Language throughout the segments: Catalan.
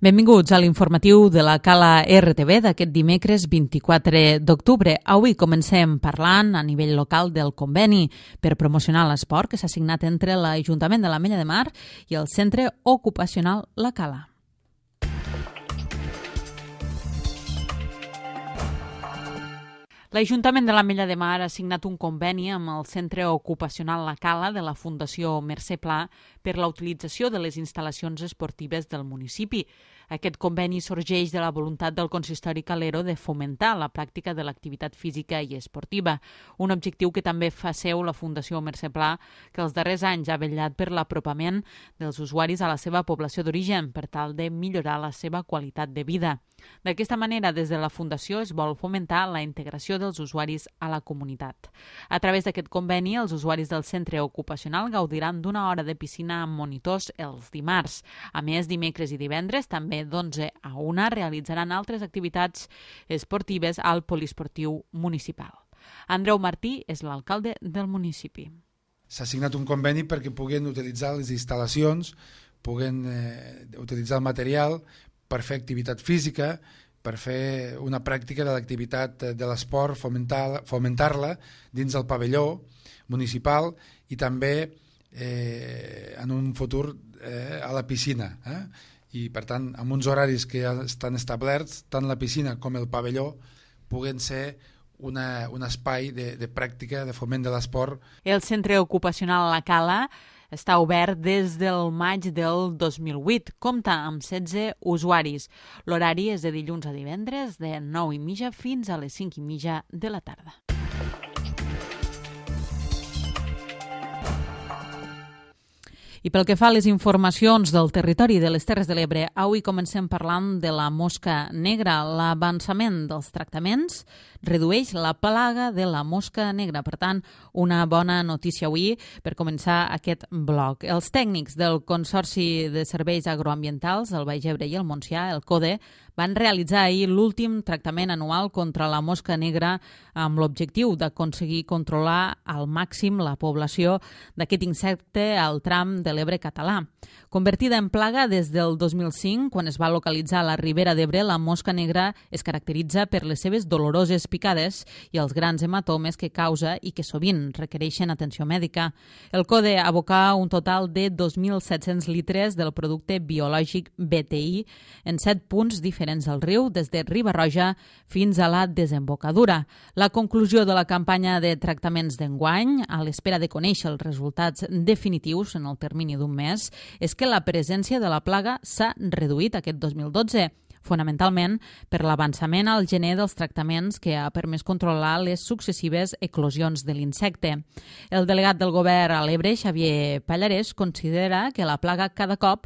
Benvinguts a l'informatiu de la Cala RTV d'aquest dimecres 24 d'octubre. Avui comencem parlant a nivell local del conveni per promocionar l'esport que s'ha signat entre l'Ajuntament de l'Ametlla de Mar i el Centre Ocupacional La Cala. L'Ajuntament de l'Ametlla de Mar ha signat un conveni amb el Centre Ocupacional La Cala de la Fundació Mercè Pla per la utilització de les instal·lacions esportives del municipi. Aquest conveni sorgeix de la voluntat del consistori calero de fomentar la pràctica de l'activitat física i esportiva, un objectiu que també fa seu la Fundació Mercè Pla, que els darrers anys ha vetllat per l'apropament dels usuaris a la seva població d'origen per tal de millorar la seva qualitat de vida. D'aquesta manera, des de la Fundació es vol fomentar la integració dels usuaris a la comunitat. A través d'aquest conveni, els usuaris del centre ocupacional gaudiran d'una hora de piscina amb monitors els dimarts. A més, dimecres i divendres, també d'11 a 1, realitzaran altres activitats esportives al poliesportiu municipal. Andreu Martí és l'alcalde del municipi. S'ha signat un conveni perquè puguen utilitzar les instal·lacions, puguen utilitzar el material per fer activitat física, per fer una pràctica de l'activitat de l'esport, fomentar-la dins el pavelló municipal i també en un futur a la piscina. I per tant, amb uns horaris que ja estan establerts, tant la piscina com el pavelló puguen ser un espai de pràctica, de foment de l'esport. El Centre Ocupacional La Cala està obert des del maig del 2008. Compta amb 16 usuaris. L'horari és de dilluns a divendres, de 9:30 fins a les 5:30 de la tarda. I pel que fa a les informacions del territori de les Terres de l'Ebre, avui comencem parlant de la mosca negra. L'avançament dels tractaments redueix la plaga de la mosca negra. Per tant, una bona notícia avui per començar aquest bloc. Els tècnics del Consorci de Serveis Agroambientals del Baix Ebre i el Montsià, el CODE, van realitzar ahir l'últim tractament anual contra la mosca negra amb l'objectiu d'aconseguir controlar al màxim la població d'aquest insecte al tram de l'Ebre català. Convertida en plaga des del 2005, quan es va localitzar a la Ribera d'Ebre, la mosca negra es caracteritza per les seves doloroses picades i els grans hematomes que causa i que sovint requereixen atenció mèdica. El CODE abocà un total de 2.700 litres del producte biològic BTI en 7 punts diferents del riu, des de Riba-roja fins a la desembocadura. La conclusió de la campanya de tractaments d'enguany, a l'espera de conèixer els resultats definitius en el termini d'un mes, és que la presència de la plaga s'ha reduït aquest 2012, fonamentalment per l'avançament al gener dels tractaments que ha permès controlar les successives eclosions de l'insecte. El delegat del govern a l'Ebre, Xavier Pallarès, considera que la plaga cada cop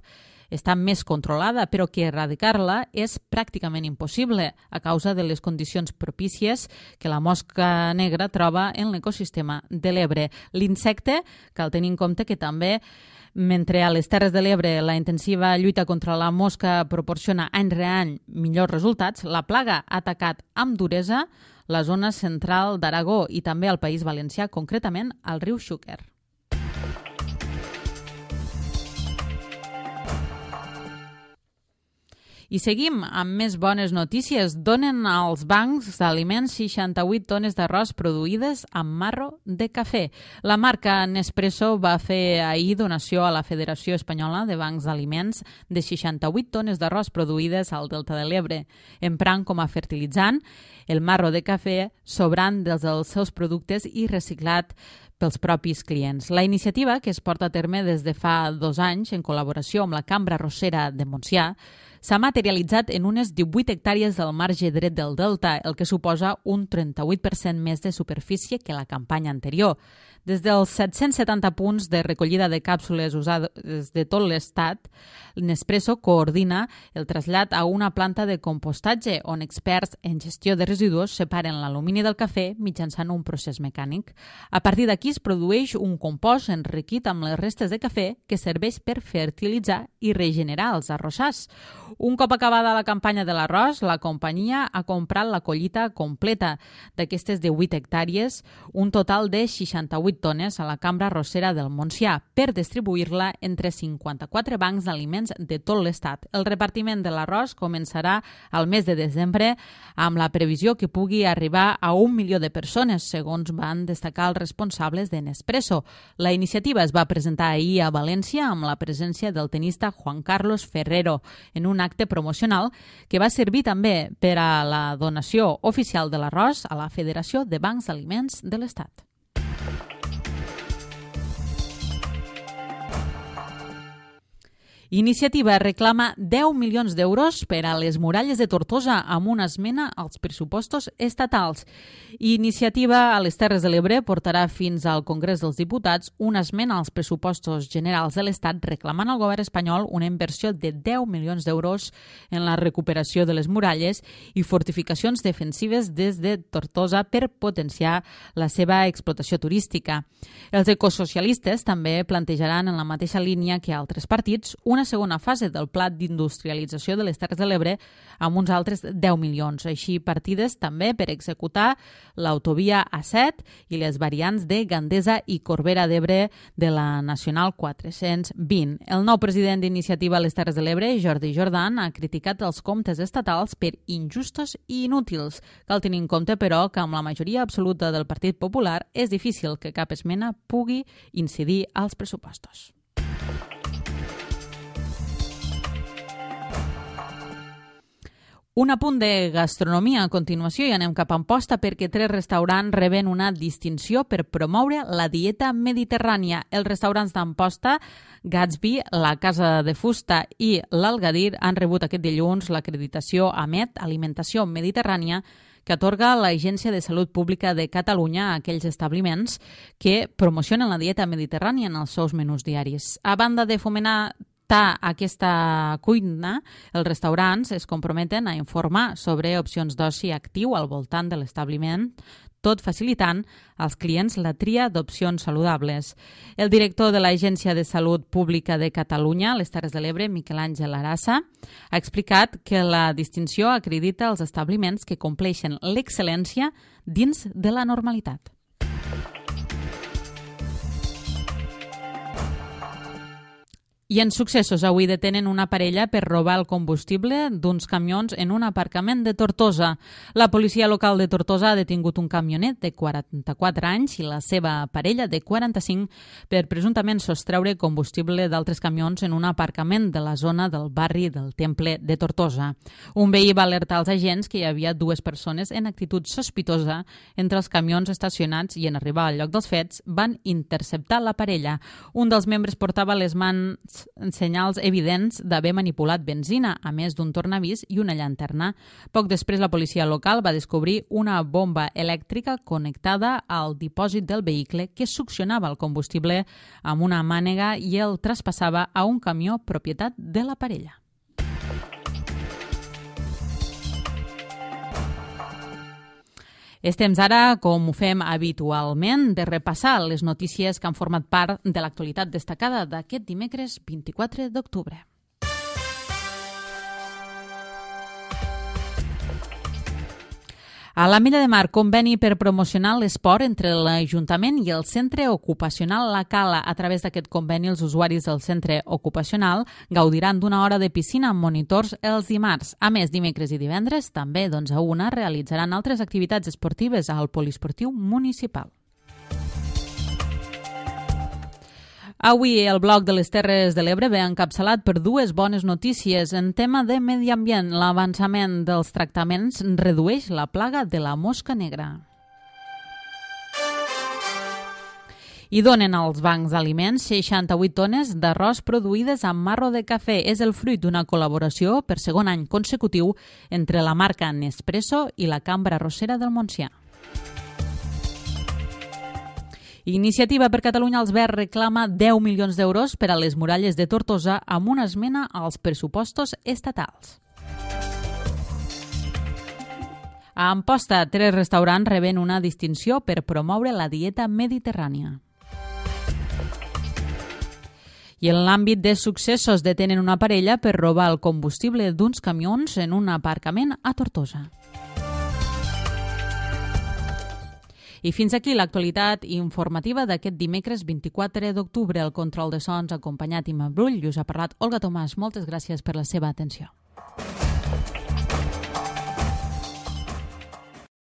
està més controlada, però que erradicar-la és pràcticament impossible a causa de les condicions propícies que la mosca negra troba en l'ecosistema de l'Ebre. L'insecte, cal tenir en compte que també, mentre a les Terres de l'Ebre la intensiva lluita contra la mosca proporciona any rere any millors resultats, la plaga ha atacat amb duresa la zona central d'Aragó i també al País Valencià, concretament al riu Xúquer. I seguim amb més bones notícies. Donen als bancs d'aliments 68 tones d'arròs produïdes amb marro de cafè. La marca Nespresso va fer ahir donació a la Federació Espanyola de Bancs d'Aliments de 68 tones d'arròs produïdes al Delta de l'Ebre, emprant com a fertilitzant el marro de cafè sobrant dels seus productes i reciclat pels propis clients. La iniciativa, que es porta a terme des de fa 2 anys en col·laboració amb la Cambra Arrossera de Montsià, s'ha materialitzat en unes 18 hectàrees del marge dret del Delta, el que suposa un 38% més de superfície que la campanya anterior. Des dels 770 punts de recollida de càpsules usades de tot l'estat, Nespresso coordina el trasllat a una planta de compostatge on experts en gestió de residus separen l'alumini del cafè mitjançant un procés mecànic. A partir d'aquí, Aquí es produeix un compost enriquit amb les restes de cafè que serveix per fertilitzar i regenerar els arrossars. Un cop acabada la campanya de l'arròs, la companyia ha comprat la collita completa d'aquestes 18 hectàrees, un total de 68 tones a la cambra arrossera del Montsià, per distribuir-la entre 54 bancs d'aliments de tot l'estat. El repartiment de l'arròs començarà al mes de desembre amb la previsió que pugui arribar a 1 milió de persones, segons van destacar els responsables de Nespresso. La iniciativa es va presentar ahir a València amb la presència del tenista Juan Carlos Ferrero en un acte promocional que va servir també per a la donació oficial de l'arròs a la Federació de Bancs d'Aliments de l'Estat. Iniciativa reclama 10 milions d'euros per a les muralles de Tortosa amb una esmena als pressupostos estatals. Iniciativa a les Terres de l'Ebre portarà fins al Congrés dels Diputats una esmena als pressupostos generals de l'Estat reclamant al govern espanyol una inversió de 10 milions d'euros en la recuperació de les muralles i fortificacions defensives des de Tortosa per potenciar la seva explotació turística. Els ecosocialistes també plantejaran en la mateixa línia que altres partits una segona fase del pla d'industrialització de les Terres de l'Ebre amb uns altres 10 milions. Així, partides també per executar l'autovia A7 i les variants de Gandesa i Corbera d'Ebre de la Nacional 420. El nou president d'Iniciativa a les Terres de l'Ebre, Jordi Jordan, ha criticat els comptes estatals per injustos i inútils. Cal tenir en compte, però, que amb la majoria absoluta del Partit Popular és difícil que cap esmena pugui incidir als pressupostos. Un apunt de gastronomia a continuació i anem cap a Amposta perquè 3 restaurants reben una distinció per promoure la dieta mediterrània. Els restaurants d'Amposta, Gatsby, la Casa de Fusta i l'Algadir han rebut aquest dilluns l'acreditació AMET, Alimentació Mediterrània, que atorga l'Agència de Salut Pública de Catalunya a aquells establiments que promocionen la dieta mediterrània en els seus menús diaris. A banda de fomentar aquesta cuina, els restaurants es comprometen a informar sobre opcions d'oci actiu al voltant de l'establiment, tot facilitant als clients la tria d'opcions saludables. El director de l'Agència de Salut Pública de Catalunya, a les Terres de l'Ebre, Miquel Àngel Arassa, ha explicat que la distinció acredita els establiments que compleixen l'excel·lència dins de la normalitat. I en successos, avui detenen una parella per robar el combustible d'uns camions en un aparcament de Tortosa. La policia local de Tortosa ha detingut un camionet de 44 anys i la seva parella de 45 per presumptament sostreure combustible d'altres camions en un aparcament de la zona del barri del Temple de Tortosa. Un veí va alertar als agents que hi havia 2 persones en actitud sospitosa entre els camions estacionats i en arribar al lloc dels fets van interceptar la parella. Un dels membres portava les mans senyals evidents d'haver manipulat benzina, a més d'un tornavís i una llanterna. Poc després, la policia local va descobrir una bomba elèctrica connectada al dipòsit del vehicle que succionava el combustible amb una mànega i el traspassava a un camió propietat de la parella. És temps ara, com ho fem habitualment, de repassar les notícies que han format part de l'actualitat destacada d'aquest dimecres 24 d'octubre. A la Mella de Mar, conveni per promocionar l'esport entre l'Ajuntament i el Centre Ocupacional La Cala. A través d'aquest conveni, els usuaris del centre ocupacional gaudiran d'una hora de piscina amb monitors els dimarts. A més, dimecres i divendres, també a 1 realitzaran altres activitats esportives al poliesportiu municipal. Avui el bloc de les Terres de l'Ebre ve encapçalat per 2 bones notícies. En tema de medi ambient, l'avançament dels tractaments redueix la plaga de la mosca negra. I donen als bancs d'aliments 68 tones d'arròs produïdes amb marro de cafè. És el fruit d'una col·laboració per segon any consecutiu entre la marca Nespresso i la Cambra Arrossera del Montsià. Iniciativa per Catalunya als Verds reclama 10 milions d'euros per a les muralles de Tortosa amb una esmena als pressupostos estatals. A Amposta, 3 restaurants reben una distinció per promoure la dieta mediterrània. I en l'àmbit de successos detenen una parella per robar el combustible d'uns camions en un aparcament a Tortosa. I fins aquí l'actualitat informativa d'aquest dimecres 24 d'octubre. El control de sons acompanyat Imma Brull i us ha parlat Olga Tomàs. Moltes gràcies per la seva atenció.